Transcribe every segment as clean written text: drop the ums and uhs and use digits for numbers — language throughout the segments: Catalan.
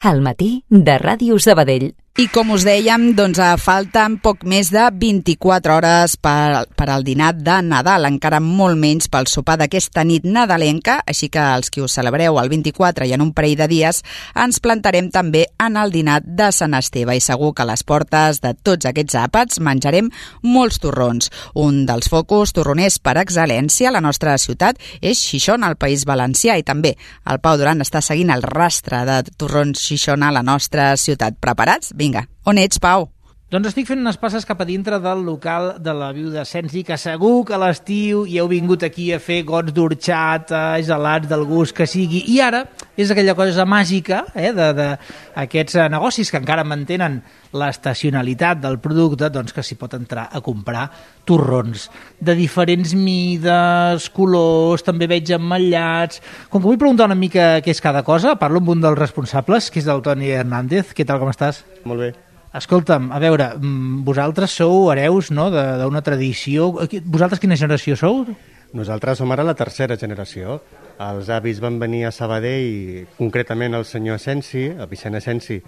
Al matí de Ràdio Sabadell. I com us dèiem, doncs falten poc més de 24 hores per al dinar de Nadal, encara molt menys pel sopar d'aquesta nit nadalenca, així que els que us celebreu el 24 i en un parell de dies ens plantarem també en el dinar de Sant Esteve i segur que a les portes de tots aquests àpats menjarem molts torrons. Un dels focus torroners per excel·lència a la nostra ciutat és Xixona, al País Valencià, i també el Pau Duran està seguint el rastre de torrons Xixona a la nostra ciutat. Preparats? Vinga, on ets, Pau? Doncs estic fent unes passes cap a dintre del local de la Viuda Sensi, que segur que a l'estiu hi heu vingut aquí a fer gots d'orxata, gelats del gust que sigui, i ara és aquella cosa màgica d'aquests negocis que encara mantenen l'estacionalitat del producte, doncs que s'hi pot entrar a comprar torrons de diferents mides, colors, també veig emmotllats. Com que vull preguntar una mica què és cada cosa, parlo amb un dels responsables, que és el Toni Hernández. Què tal, com estàs? Molt bé. Escolta'm, a veure, vosaltres sou hereus, no?, d'una tradició. Vosaltres quina generació sou? Nosaltres som ara la tercera generació. Els avis van venir a Sabadell, concretament el senyor Asensi, el Vicent Asensi,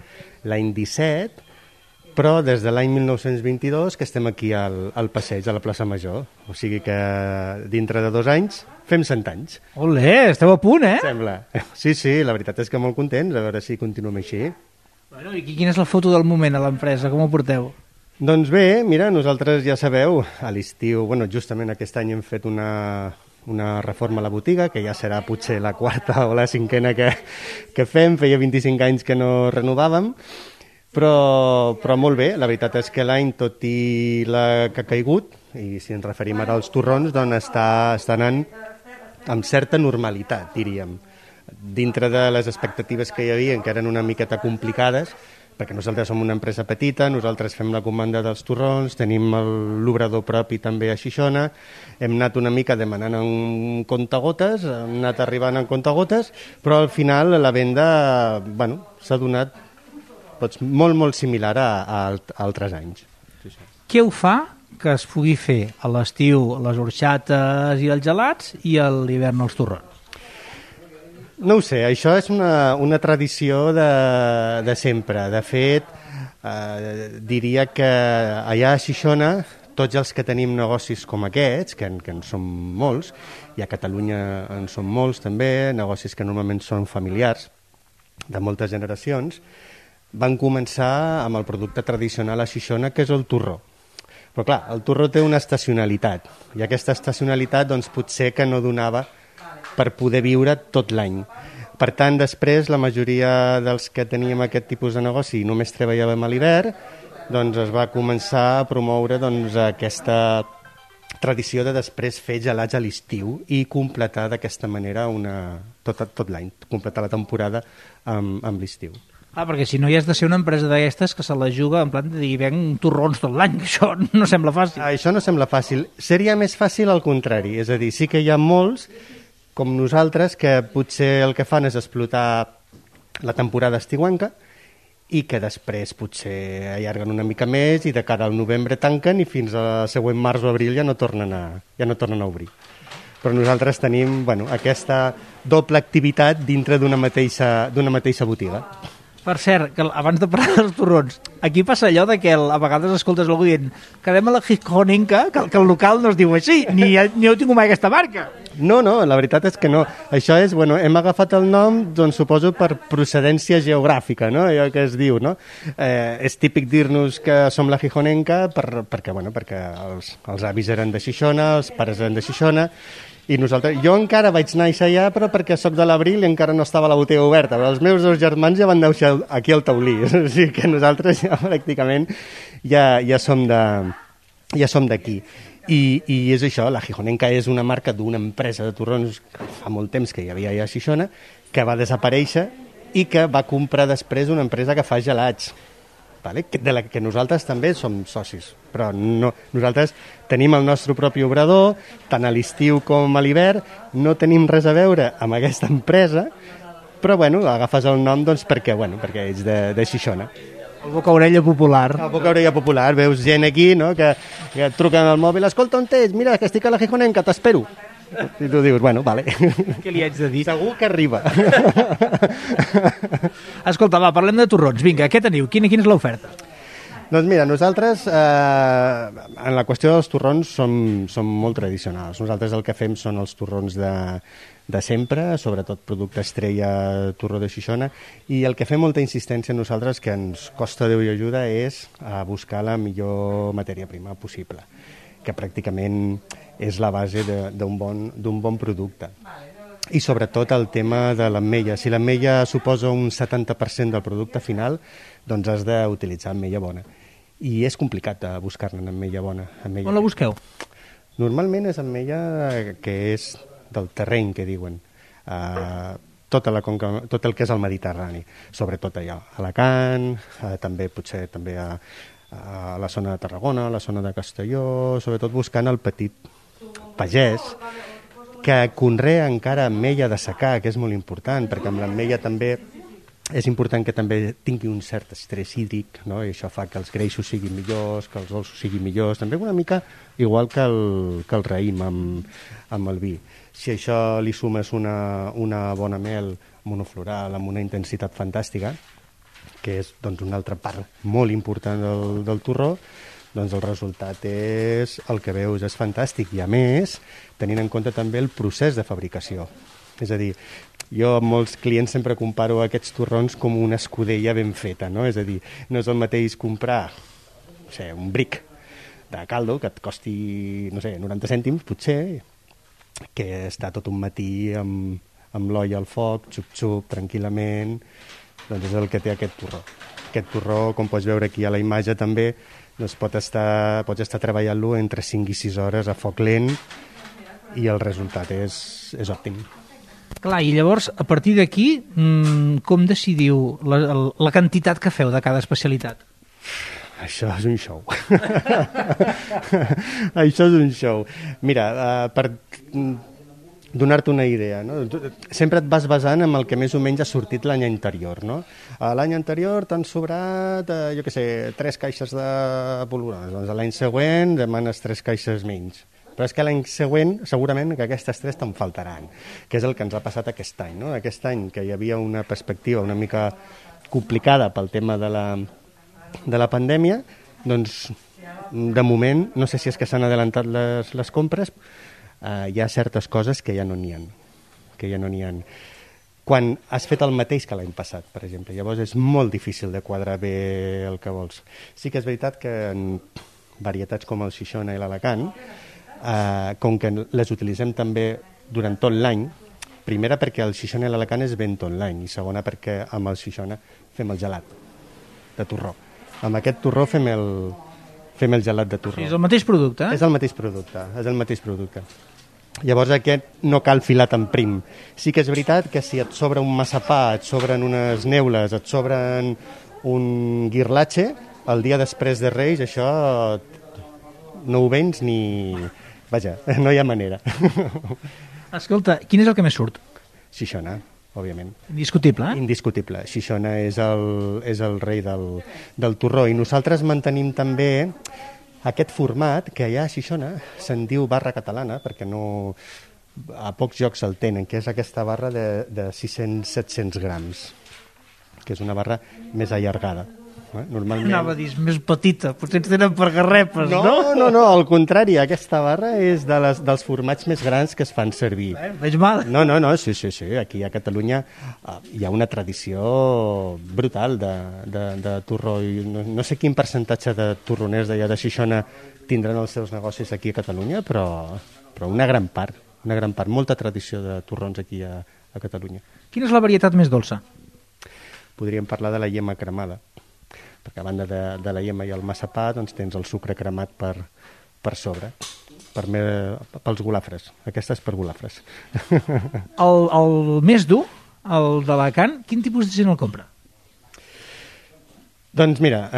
l'any 17, però des de l'any 1922 que estem aquí al passeig, a la plaça Major. O sigui que dintre de 2 anys fem 100 anys. Olé, esteu a punt, eh? Sembla. Sí, la veritat és que molt contents, a veure si continuem així. Bueno, i quina és la foto del moment a l'empresa? Com ho porteu? Doncs bé, mira, nosaltres ja sabeu, a l'estiu, justament aquest any hem fet una reforma a la botiga, que ja serà potser la 4ª o la 5ª que fem, feia 25 anys que no renovàvem, però molt bé, la veritat és que l'any, tot i la que ha caigut, i si ens referim ara als torrons, doncs està anant amb certa normalitat, diríem. Dintre de les expectatives que hi havia, que eren una miqueta complicades, perquè nosaltres som una empresa petita, nosaltres fem la comanda dels torrons, tenim l'obrador propi també a Xixona, hem anat una mica demanant en comptagotes, hem anat arribant en comptagotes, però al final la venda s'ha donat molt similar a altres anys. Sí. Què ho fa que es pugui fer a l'estiu les orxates i els gelats i a l'hivern els torrons? No ho sé, això és una tradició de sempre. De fet, diria que allà a Xixona, tots els que tenim negocis com aquests, que en som molts, i a Catalunya en som molts també, negocis que normalment són familiars, de moltes generacions, van començar amb el producte tradicional a Xixona, que és el torró. Però clar, el torró té una estacionalitat, i aquesta estacionalitat potser que no donava per poder viure tot l'any. Per tant, després, la majoria dels que teníem aquest tipus de negoci i només treballàvem a l'hivern, es va començar a promoure aquesta tradició de després fer gelats a l'estiu i completar d'aquesta manera tot l'any, completar la temporada amb l'estiu. Perquè si no hi has de ser una empresa d'aquestes que se la juga en plan de dir venc torrons tot l'any, això no sembla fàcil. Això no sembla fàcil. Seria més fàcil al contrari, és a dir, sí que hi ha molts com nosaltres, que potser el que fan és explotar la temporada estiuenca i que després potser allarguen una mica més i de cara al novembre tanquen i fins al següent març o abril ja no tornen a obrir. Però nosaltres tenim aquesta doble activitat dintre d'una mateixa botiga. Per cert, que abans de parlar dels torrons, aquí passa allò de que a vegades escoltes algú dient quedem a la Gijonenca, que el local no es diu així, ni heu tingut mai aquesta marca. No, la veritat és que no. Això és, hem agafat el nom, suposo, per procedència geogràfica, no? Allò que es diu, no? És típic dir-nos que som la Gijonenca perquè els avis eren de Xixona, els pares eren de Xixona, i jo encara vaig néixer allà, però perquè sóc de l'Abril i encara no estava la botiga oberta, però els meus 2 germans ja van néixer aquí al Taulí, o sigui que nosaltres ja pràcticament ja som d'aquí. I és això, la Gijonenca és una marca d'una empresa de torrons que fa molt temps que hi havia allà a Xixona, que va desaparèixer i que va comprar després una empresa que fa gelats, de la que nosaltres també som socis, però nosaltres tenim el nostre propi obrador, tant a l'estiu com a l'hivern, no tenim res a veure amb aquesta empresa, però agafes el nom perquè ets de Xixona. El boca-orella popular. El boca-orella popular, veus gent aquí, no?, que et truquen al mòbil, escolta, on ets? Mira, que estic a la Gijonenca, t'espero. I tu dius, bueno, vale. Què li haig de dir? Segur que arriba. Escolta, va, parlem de torrons. Vinga, què teniu? Quina és l'oferta? Doncs mira, nosaltres en la qüestió dels torrons som molt tradicionals. Nosaltres el que fem són els torrons de sempre, sobretot producte estrella, torró de Xixona, i el que fem molta insistència nosaltres, que ens costa Déu i ajuda, és buscar la millor matèria prima possible, que pràcticament és la base d'un bon producte. I sobretot el tema de l'ametlla. Si l'ametlla suposa un 70% del producte final, doncs has d'utilitzar ametlla bona. I és complicat de buscar-ne ametlla bona. On la busqueu? Normalment és ametlla que és del terreny, que diuen. Tot el que és el Mediterrani, sobretot allà a Alacant, potser també a la zona de Tarragona, a la zona de Castelló, sobretot buscant el petit pagès, que conrea encara ametlla de secà, que és molt important, perquè amb l'ametlla també és important que també tingui un cert estrès hídric, no? I això fa que els greixos siguin millors, que els dolços siguin millors, també una mica igual que el raïm amb el vi. Si això li sumes una bona mel monofloral amb una intensitat fantàstica, que és doncs, una altra part molt important del torró, doncs el resultat és el que veus, és fantàstic. I a més, tenint en compte també el procés de fabricació. És a dir, jo amb molts clients sempre comparo aquests torrons com una escudella ben feta, no? És a dir, no és el mateix comprar un bric de caldo que et costi, 90 cèntims, potser, que està tot un matí amb l'olla al foc, xup-xup, tranquil·lament, doncs és el que té aquest torró. Aquest torró, com pots veure aquí a la imatge també, doncs pots estar treballant-lo entre 5 i 6 hores a foc lent i el resultat és òptim. Clar, i llavors, a partir d'aquí, com decidiu la quantitat que feu de cada especialitat? Això és un show. Això és un show. Mira, per donar-te una idea, no? Sempre et vas basant en el que més o menys ha sortit l'any anterior, no? L'any anterior t'han sobrat, 3 caixes de polvorones. Doncs l'any següent demanes 3 caixes menys. Però és que l'any següent segurament que aquestes 3 te'n faltaran, que és el que ens ha passat aquest any, no? Aquest any que hi havia una perspectiva una mica complicada pel tema de la pandèmia, doncs de moment, no sé si és que s'han adelantat les compres, hi ha certes coses que ja no n'hi ha, quan has fet el mateix que l'any passat, per exemple. Llavors és molt difícil de quadrar bé el que vols. Sí que és veritat que en varietats com el Xixona i l'Alacant, com que les utilitzem també durant tot l'any, primera perquè el Xixona i l'Alacant es ven tot l'any, i segona perquè amb el Xixona fem el gelat de torró. Amb aquest torró fem el gelat de torró. És el mateix producte, eh? És el mateix producte. Llavors aquest no cal filar tan prim. Sí que és veritat que si et sobra un massapà, et sobren unes neules, et sobren un guirlatxe, el dia després de Reis això no ho vens ni... Vaja, no hi ha manera. Escolta, quin és el que més surt? Xixona, òbviament. Indiscutible, eh? Indiscutible. Xixona és el rei del torró. I nosaltres mantenim també aquest format, que allà a Xixona se'n diu barra catalana, perquè no, a pocs llocs el tenen, que és aquesta barra de 600-700 grams, que és una barra més allargada. Normalment... Anava a dir, més petita, potser ens tenen per garrepes, no? No, al contrari, aquesta barra és dels formats més grans que es fan servir. Veig mal. No, sí, aquí a Catalunya hi ha una tradició brutal de torró, i no sé quin percentatge de torroners d'allà de Xixona tindran els seus negocis aquí a Catalunya, però una gran part, molta tradició de torrons aquí a Catalunya. Quina és la varietat més dolça? Podríem parlar de la iema cremada, perquè a banda de la iema i el massapà doncs tens el sucre cremat per sobre, pels golafres. Aquesta és per golafres. El més dur, el d'Alacant, quin tipus de gent el compra? Doncs mira,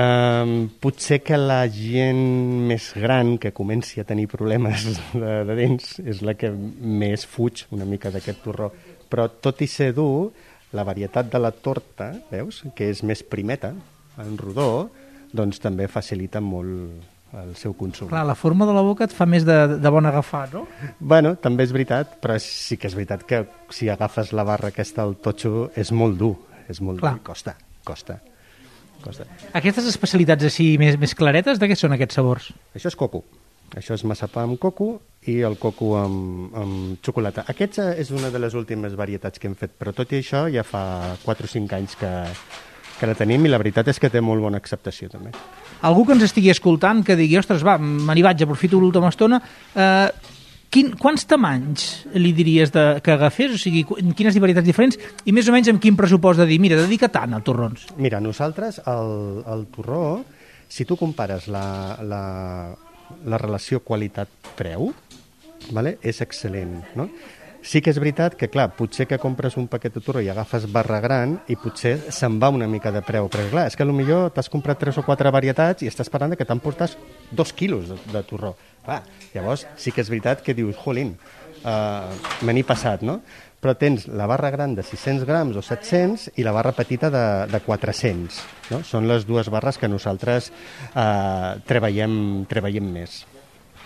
potser que la gent més gran que comenci a tenir problemes de dents és la que més fuig una mica d'aquest torró. Però tot i ser dur, la varietat de la torta, veus, que és més primeta, en rodó, doncs també facilita molt el seu consum. Clar, la forma de la boca et fa més de bon agafar, no? Bueno, també és veritat, però sí que és veritat que si agafes la barra aquesta al totxo és molt dur, dur i costa. Aquestes especialitats així més claretes, de què són aquests sabors? Això és coco. Això és massapà amb coco i el coco amb xocolata. Aquesta és una de les últimes varietats que hem fet, però tot i això ja fa 4 o 5 anys que la tenim i la veritat és que té molt bona acceptació també. Algú que ens estigui escoltant que digui, ostres, va, me n'hi vaig, aprofito l'última estona, quants tamanys li diries que agafés? O sigui, quines varietats diferents? I més o menys amb quin pressupost de dir, mira, dedica tant als torrons? Mira, nosaltres, el torró, si tu compares la relació qualitat-preu, vale? És excel·lent, no? Sí que és veritat que, clar, potser que compres un paquet de torró i agafes barra gran i potser se'n va una mica de preu, però clar, és que potser t'has comprat 3 o 4 varietats i estàs parlant que t'emportes 2 quilos de torró. Clar, llavors sí que és veritat que dius, jolín, me n'he passat, no? Però tens la barra gran de 600 grams o 700 i la barra petita de 400, no? Són les dues barres que nosaltres treballem més.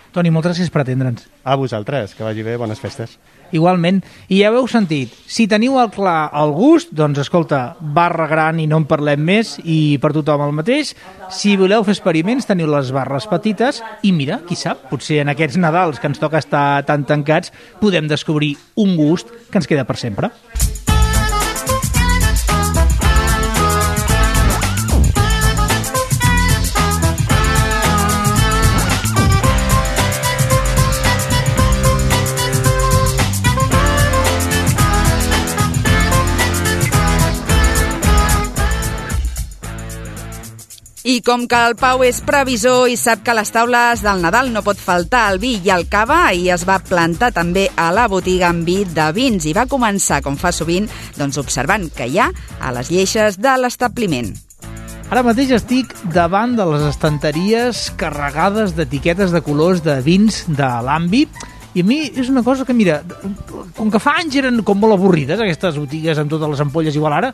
Toni, moltes gràcies per atendre'ns. A vosaltres, que vagi bé, bones festes. Igualment, i ja ho heu sentit, si teniu clar el gust, doncs escolta, barra gran i no en parlem més, i per tothom el mateix. Si voleu fer experiments, teniu les barres petites, i mira, qui sap, potser en aquests Nadals que ens toca estar tan tancats, podem descobrir un gust que ens queda per sempre. I com que el Pau és previsor i sap que a les taules del Nadal no pot faltar el vi i el cava, ahir es va plantar també a la botiga amb vi de vins i va començar, com fa sovint, doncs observant què hi ha a les lleixes de l'establiment. Ara mateix estic davant de les estanteries carregades d'etiquetes de colors de vins de l'àmbit. I a mi és una cosa que, mira, com que fa anys eren com molt avorrides, aquestes botigues amb totes les ampolles igual ara,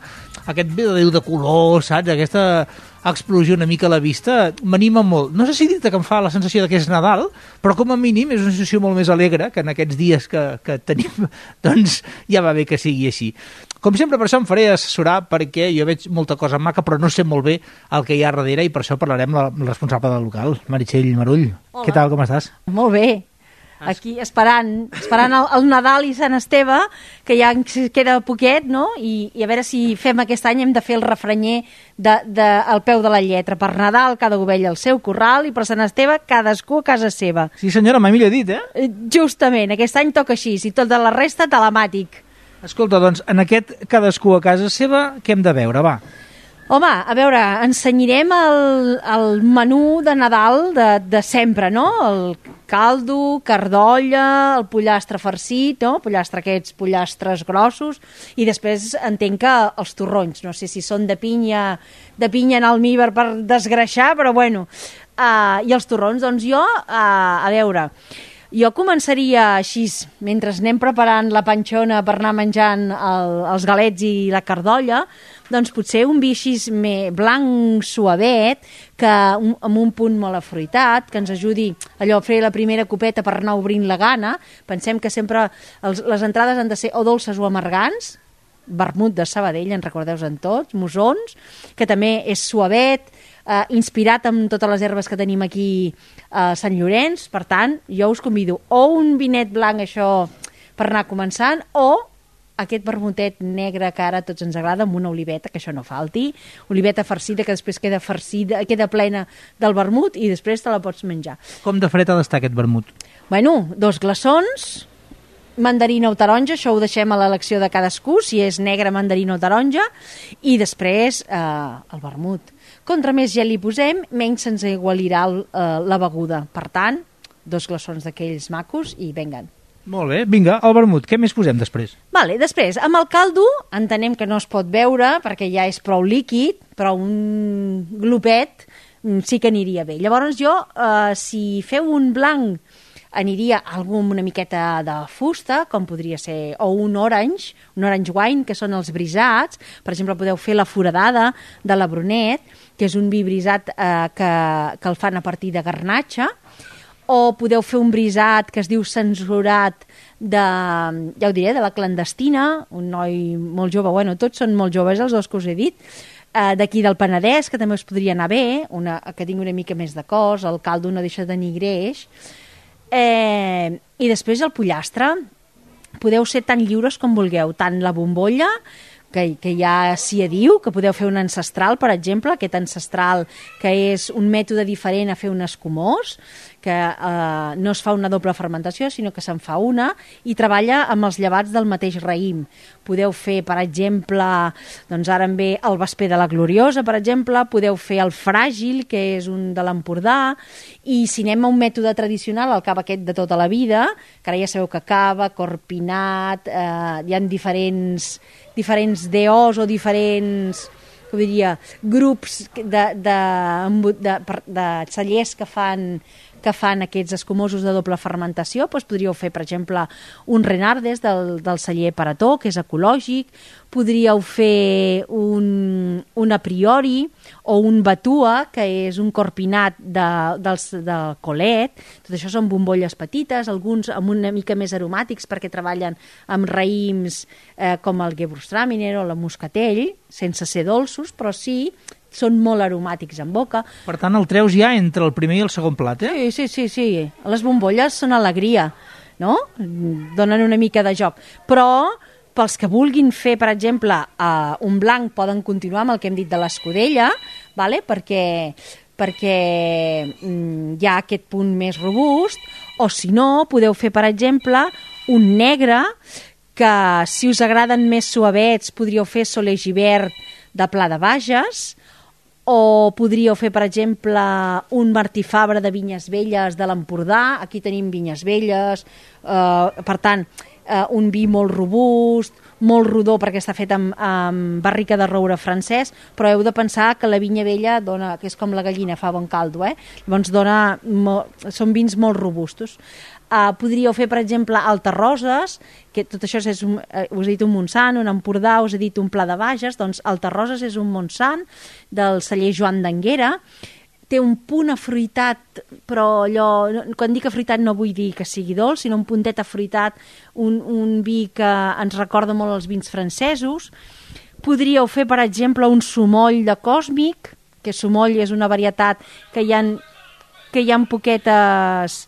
aquest vedadeu de color, saps? Aquesta explosió una mica a la vista m'anima molt. No sé si dir-te que em fa la sensació que és Nadal, però com a mínim és una sensació molt més alegre que en aquests dies que tenim, doncs ja va bé que sigui així. Com sempre, per això em faré assessorar, perquè jo veig molta cosa maca, però no sé molt bé el que hi ha darrere, i per això parlarem amb la responsable del local, Meritxell Marull. Hola. Què tal, com estàs? Molt bé. Aquí esperant el Nadal i Sant Esteve, que ja ens queda poquet, no? I a veure si fem aquest any, hem de fer el refranyer al peu de la lletra. Per Nadal, cada ovella al seu corral, i per Sant Esteve, cadascú a casa seva. Sí, senyora, mai millor dit, eh? Justament, aquest any toca així, i tot de la resta telemàtic. Escolta, doncs, en aquest cadascú a casa seva, què hem de veure, va? Home, a veure, ensenyarem el menú de Nadal de sempre, no? El caldo, cardolla, el pollastre farcit, no? Pollastres grossos, i després entenc que els torrons, no sé si són de pinya en almíbar per desgreixar, però bueno, i els torrons, doncs jo, a veure, jo començaria així, mentre anem preparant la panxona per anar menjant els galets i la cardolla, doncs potser un vi així blanc suavet, amb un punt molt afruitat, que ens ajudi allò a fer la primera copeta per anar obrint la gana. Pensem que sempre les entrades han de ser o dolces o amargants. Vermut de Sabadell, en recordeu-en tots, Mosons, que també és suavet, inspirat amb totes les herbes que tenim aquí a Sant Llorenç. Per tant, jo us convido o un vinet blanc, això, per anar començant, o aquest vermutet negre que ara a tots ens agrada, amb una oliveta, que això no falti, oliveta farcida, que després queda farcida, queda plena del vermut, i després te la pots menjar. Com de fred ha d'estar aquest vermut? Bueno, 2 glaçons, mandarina o taronja, això ho deixem a l'elecció de cadascú, si és negre, mandarina o taronja, i després el vermut. Contra més gel li posem, menys se'ns aigualirà la beguda. Per tant, 2 glaçons d'aquells macos i venguen. Molt bé, vinga, el vermut, què més posem després? Vale, després, amb el caldo, entenem que no es pot beure perquè ja és prou líquid, però un glopet sí que aniria bé. Llavors jo, si feu un blanc aniria algú amb una miqueta de fusta, com podria ser, o un orange wine, que són els brisats. Per exemple, podeu fer la foradada de la Brunet, que és un vi brisat que el fan a partir de garnatxa, o podeu fer un brisat que es diu censurat ja ho diré, de la clandestina, un noi molt jove, bueno, tots són molt joves els dos que us he dit, d'aquí del Penedès, que també us podria anar bé, que tingui una mica més de cos, el caldo no deixa de tenir greix, i després el pollastre. Podeu ser tan lliures com vulgueu, tant la bombolla, que ja s'hi diu, que podeu fer un ancestral, per exemple, aquest ancestral que és un mètode diferent a fer un escumós, que no es fa una doble fermentació, sinó que se'n fa una, i treballa amb els llevats del mateix raïm. Podeu fer, per exemple, doncs ara em ve el vesper de la Gloriosa, per exemple, podeu fer el fràgil, que és un de l'Empordà, i si anem a un mètode tradicional, el cava aquest de tota la vida, que ara ja sabeu que cava, corpinat, hi ha diferents DOs o diferents, com diria, grups de cellers que fan aquests escumosos de doble fermentació. Doncs podríeu fer, per exemple, un Renardes del celler Parató, que és ecològic, podríeu fer un a priori o un batua, que és un corpinat de colet. Tot això són bombolles petites, alguns amb una mica més aromàtics perquè treballen amb raïms com el Gewürztraminer o la Moscatell, sense ser dolços, però sí són molt aromàtics en boca. Per tant, el treus ja entre el primer i el segon plat, eh? Sí. Les bombolles són alegria, no? Donen una mica de joc. Però pels que vulguin fer, per exemple, un blanc, poden continuar amb el que hem dit de l'escudella, vale? perquè hi ha aquest punt més robust, o si no, podeu fer, per exemple, un negre, que si us agraden més suavets, podríeu fer Soler Givert de Pla de Bages, o podríeu fer, per exemple, un Martí Fabra de Vinyes Velles de l'Empordà. Aquí tenim Vinyes Velles, per tant, un vi molt robust, molt rodó perquè està fet amb barrica de roure francès, però heu de pensar que la vinya vella dona, que és com la gallina, fa bon caldo, llavors són vins molt robustos. Podríeu fer, per exemple, Altarroses, que tot això és us he dit un Montsant, un Empordà, us he dit un Pla de Bages, doncs Altarroses és un Montsant del celler Joan d'Anguera, té un punt afruitat, però quan dic afruitat no vull dir que sigui dolç, sinó un puntet afruitat, un vi que ens recorda molt els vins francesos. Podríeu fer, per exemple, un Sumoll de Còsmic, que Sumoll és una varietat que hi ha poquetes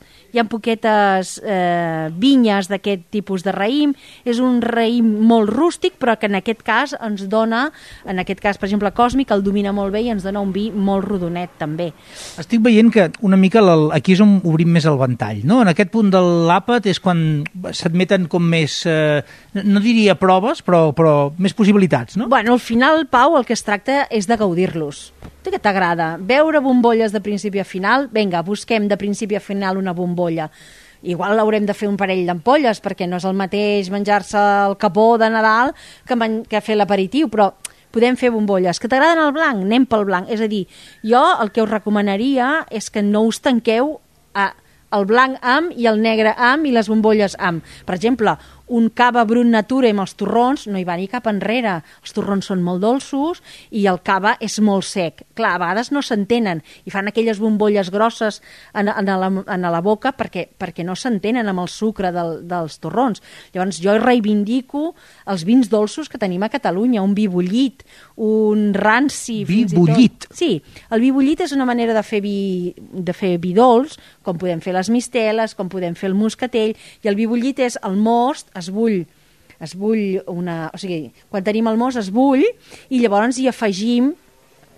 vinyes d'aquest tipus de raïm. És un raïm molt rústic, però que en aquest cas ens dona, per exemple, Còsmic, el domina molt bé i ens dona un vi molt rodonet, també. Estic veient que una mica aquí és on obrim més el ventall, no? En aquest punt de l'àpat és quan s'admeten com més, no diria proves, però més possibilitats, no? Bueno, al final, Pau, el que es tracta és de gaudir-los. Tu què t'agrada? Veure bombolles de principi a final? Vinga, busquem de principi a final una bombolla. Igual haurem de fer un parell d'ampolles, perquè no és el mateix menjar-se el capó de Nadal que fer l'aperitiu, però podem fer bombolles. Que t'agraden el blanc? Anem pel blanc. És a dir, jo el que us recomanaria és que no us tanqueu el blanc amb i el negre amb i les bombolles amb. Per exemple, un cava brut natura amb els torrons no hi va ni cap enrere. Els torrons són molt dolços i el cava és molt sec. Clar, a vegades no s'entenen i fan aquelles bombolles grosses en la boca perquè no s'entenen amb el sucre dels torrons. Llavors jo reivindico els vins dolços que tenim a Catalunya, un vi bullit, un ranci... Vi bullit? Sí, el vi bullit és una manera de fer vi dolç, com podem fer les misteles, com podem fer el moscatell, i el vi bullit és el most, es bull o sigui, quan tenim el most es bull i llavors hi afegim,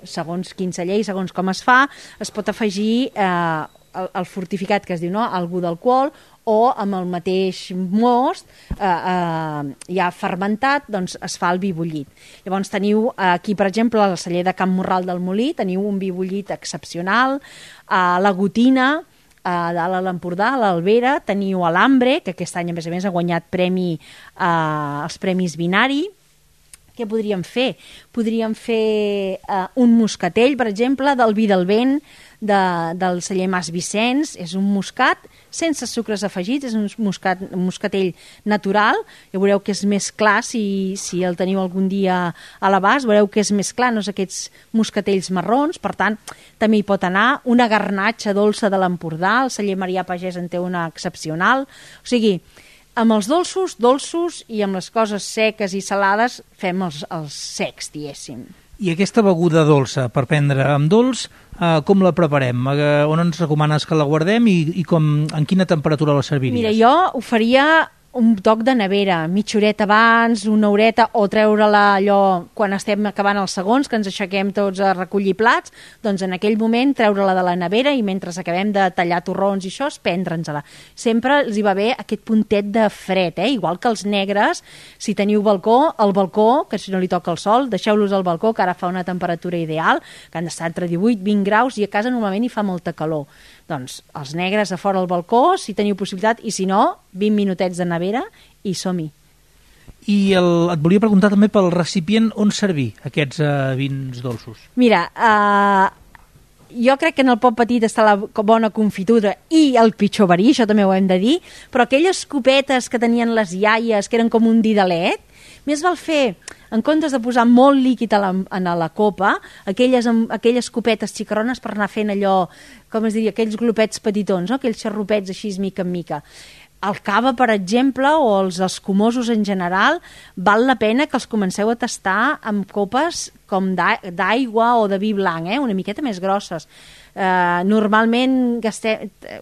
segons quin celler i segons com es fa, es pot afegir el fortificat que es diu, no? Algú d'alcohol, o amb el mateix most ja fermentat, doncs es fa el vi bullit. Llavors teniu aquí, per exemple, al celler de Can Morral del Molí, teniu un vi bullit excepcional, la Gotina, a dalt a l'Empordà, a l'Albera, teniu l'Ambre, que aquest any a més ha guanyat premi als Premis Binari, què podríem fer? Podríem fer un moscatell, per exemple, del vi del vent, del celler Mas Vicenç. És un moscat sense sucres afegits, és un moscatell natural. Ja veureu que és més clar, si el teniu algun dia a l'abast, veureu que és més clar, no és aquests moscatells marrons. Per tant, també hi pot anar una garnatxa dolça de l'Empordà, el celler Marià Pagès en té una excepcional. O sigui, amb els dolços, i amb les coses seques i salades fem els secs, diguéssim. I aquesta beguda dolça per prendre amb dolç, com la preparem? On ens recomanes que la guardem i en quina temperatura la serviries? Mira, jo ho faria un toc de nevera, mitja horeta abans, una horeta, o treure-la allò quan estem acabant els segons, que ens aixequem tots a recollir plats, doncs en aquell moment treure-la de la nevera i mentre acabem de tallar torrons i això, prendre'ns-la. Sempre els hi va bé aquest puntet de fred, igual que els negres, si teniu balcó, al balcó, que si no li toca el sol, deixeu-los al balcó, que ara fa una temperatura ideal, que han d'estar entre 18-20 graus, i a casa normalment hi fa molta calor. Doncs els negres a fora al balcó, si teniu possibilitat, i si no, 20 minutets de nevera i som-hi. I et volia preguntar també pel recipient on servir aquests vins dolços. Mira, jo crec que en el pot petit està la bona confitura i el pitjor verí, això també ho hem de dir, però aquelles copetes que tenien les iaies, que eren com un didalet, més val fer, en comptes de posar molt líquid a la copa, aquelles copetes xicarrones per anar fent allò, com es diria, aquells glopets petitons, no? Aquells xarrupets així mica en mica. El cava, per exemple, o els escumosos en general, val la pena que els comenceu a tastar amb copes com d'aigua o de vi blanc, una miqueta més grosses. Normalment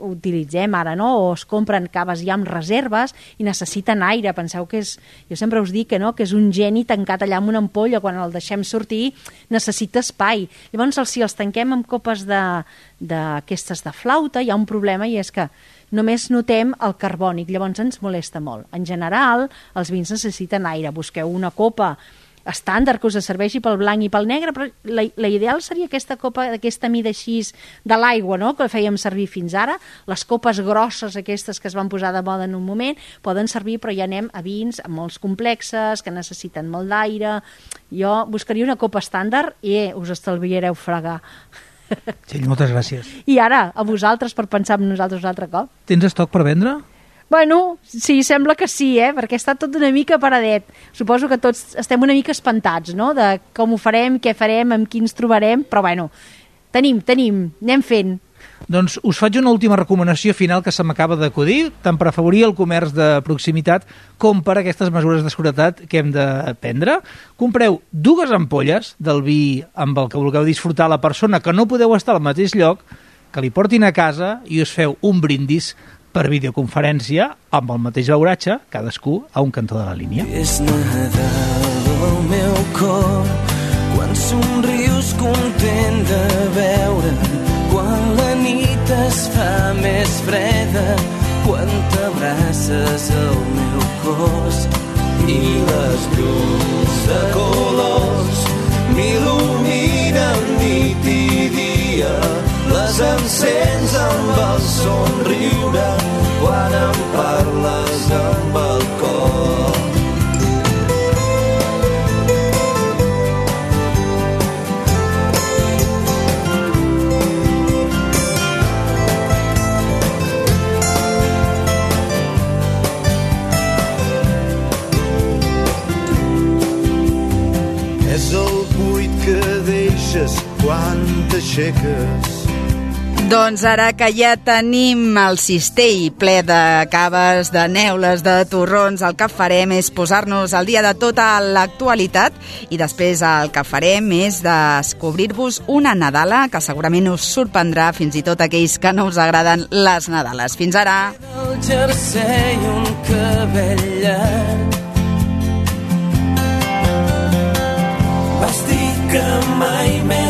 utilitzem ara, no? O es compren caves ja amb reserves i necessiten aire. Penseu que jo sempre us dic que és un geni tancat allà amb una ampolla, quan el deixem sortir necessita espai. Llavors, si els tanquem amb copes d'aquestes de flauta, hi ha un problema, i és que només notem el carbònic, llavors ens molesta molt. En general, els vins necessiten aire. Busqueu una copa estàndard que us serveixi pel blanc i pel negre, però la ideal seria aquesta copa d'aquesta mida així de l'aigua, no?, que fèiem servir fins ara. Les copes grosses aquestes que es van posar de moda en un moment poden servir, però ja anem a vins molts complexes, que necessiten molt d'aire. Jo buscaria una copa estàndard i us estalviareu fregar. Txell, moltes gràcies. I ara, a vosaltres, per pensar en nosaltres un altre cop. Tens estoc per vendre? Bueno, sí, sembla que sí, perquè està tot una mica paradet. Suposo que tots estem una mica espantats, no?, de com ho farem, què farem, amb qui ens trobarem, però bueno, tenim, anem fent. Doncs us faig una última recomanació final que se m'acaba d'acudir, tant per afavorir el comerç de proximitat com per aquestes mesures de seguretat que hem de prendre. Compreu 2 ampolles del vi amb el que vulgueu disfrutar la persona que no podeu estar al mateix lloc, que li portin a casa i us feu un brindis per videoconferència amb el mateix beuratge, cadascú a un cantó de la línia. És Nadal al meu cor, quan somrius content de veure, quan la nit es fa més freda, quan t'abraces al meu cos i les llums de colors m'il·luminen nit i dia. Les encens amb el somriure quan em parles amb el cor. És el buit que deixes quan t'aixeques. Doncs ara que ja tenim el cistell ple de caves, de neules, de torrons, el que farem és posar-nos al dia de tota l'actualitat i després el que farem és descobrir-vos una Nadala que segurament us sorprendrà, fins i tot aquells que no us agraden les Nadales. Fins ara! El jersei, un cabell llarg, vas dir que mai més